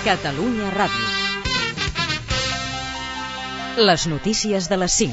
Catalunya Ràdio. Les notícies de les 5.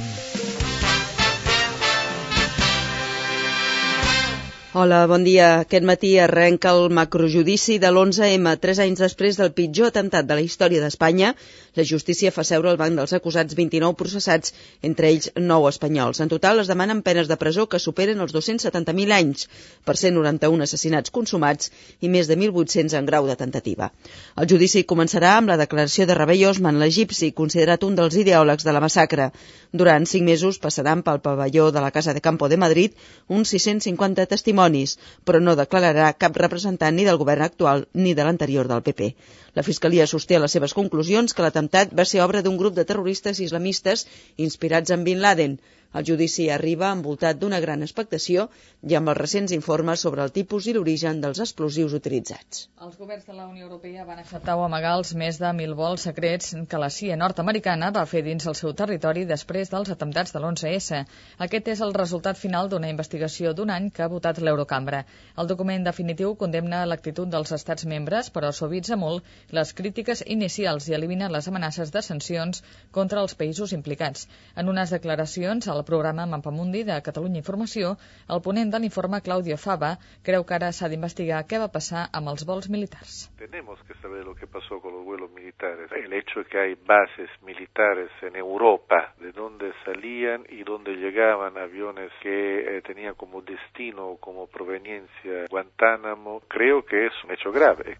Hola, bon dia. Aquest matí arrenca el macrojudici de l'11M. 3 anys després del pitjor atemptat de la història d'Espanya, la justícia fa seure al banc dels acusats 29 processats, entre ells 9 espanyols. En total es demanen penes de presó que superen els 270.000 anys per 191 assassinats consumats i més de 1.800 en grau de tentativa. El judici començarà amb la declaració de Rebei Osman, l'egipci, considerat un dels ideòlegs de la massacre. Durant 5 mesos passaran pel pavelló de la Casa de Campo de Madrid uns 650 testimonis, però no declararà cap representant ni del govern actual ni de l'anterior del PP. La Fiscalia sosté a les seves conclusions que l'atemptat va ser obra d'un grup de terroristes islamistes inspirats en Bin Laden. El judici arriba envoltat d'una gran expectació i amb els recents informes sobre el tipus i l'origen dels explosius utilitzats. Els governs de la Unió Europea van acceptar o amagar els més de 1.000 vols secrets que la CIA nord-americana va fer dins el seu territori després dels atemptats de l'11S. Aquest és el resultat final d'una investigació d'un any que ha votat l'Eurocambra. El document definitiu condemna l'actitud dels estats membres, però suavitza molt les crítiques inicials i elimina les amenaces de sancions contra els països implicats. En unes declaracions al programa Mapamundi de Catalunya Informació, el ponent de l'informe, Claudio Fava, creu que ara s'ha d'investigar què va passar amb els vols militars. Tenemos que saber lo que pasó con los vuelos militares. El hecho de que hay bases militares en Europa, de donde salían y donde llegaban aviones que tenían como destino, como proveniencia Guantánamo, creo que es un hecho grave.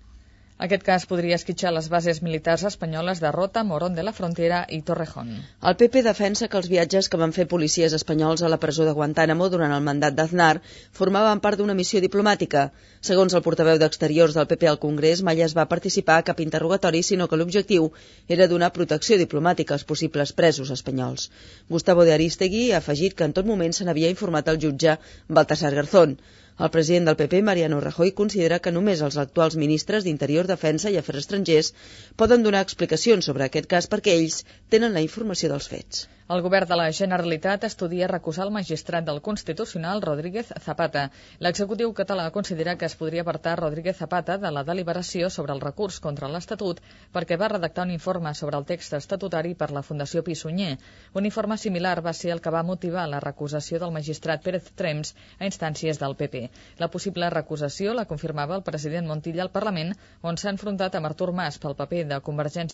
Aquest cas podria esquitxar les bases militars espanyoles de Rota, Morón de la Frontera i Torrejón. El PP defensa que els viatges que van fer policies espanyols a la presó de Guantánamo durant el mandat d'Aznar formaven part d'una missió diplomàtica. Segons el portaveu d'Exteriors del PP al Congrés, mai es va participar a cap interrogatori, sinó que l'objectiu era donar protecció diplomàtica als possibles presos espanyols. Gustavo de Aristegui ha afegit que en tot moment se n'havia informat el jutge Baltasar Garzón. El president del PP, Mariano Rajoy, considera que només els actuals ministres d'Interior, Defensa i Afers Estrangers poden donar explicacions sobre aquest cas perquè ells tenen la informació dels fets. El govern de la Generalitat estudia recusar el magistrat del Constitucional Rodríguez Zapata. L'executiu català considera que es podria apartar Rodríguez Zapata de la deliberació sobre el recurs contra l'Estatut perquè va redactar un informe sobre el text estatutari per la Fundació Pi i Sunyer. Un informe similar va ser el que va motivar la recusació del magistrat Pérez Trems a instàncies del PP. La possible recusació la confirmava el president Montilla al Parlament, on s'ha enfrontat amb Artur Mas pel paper de Convergència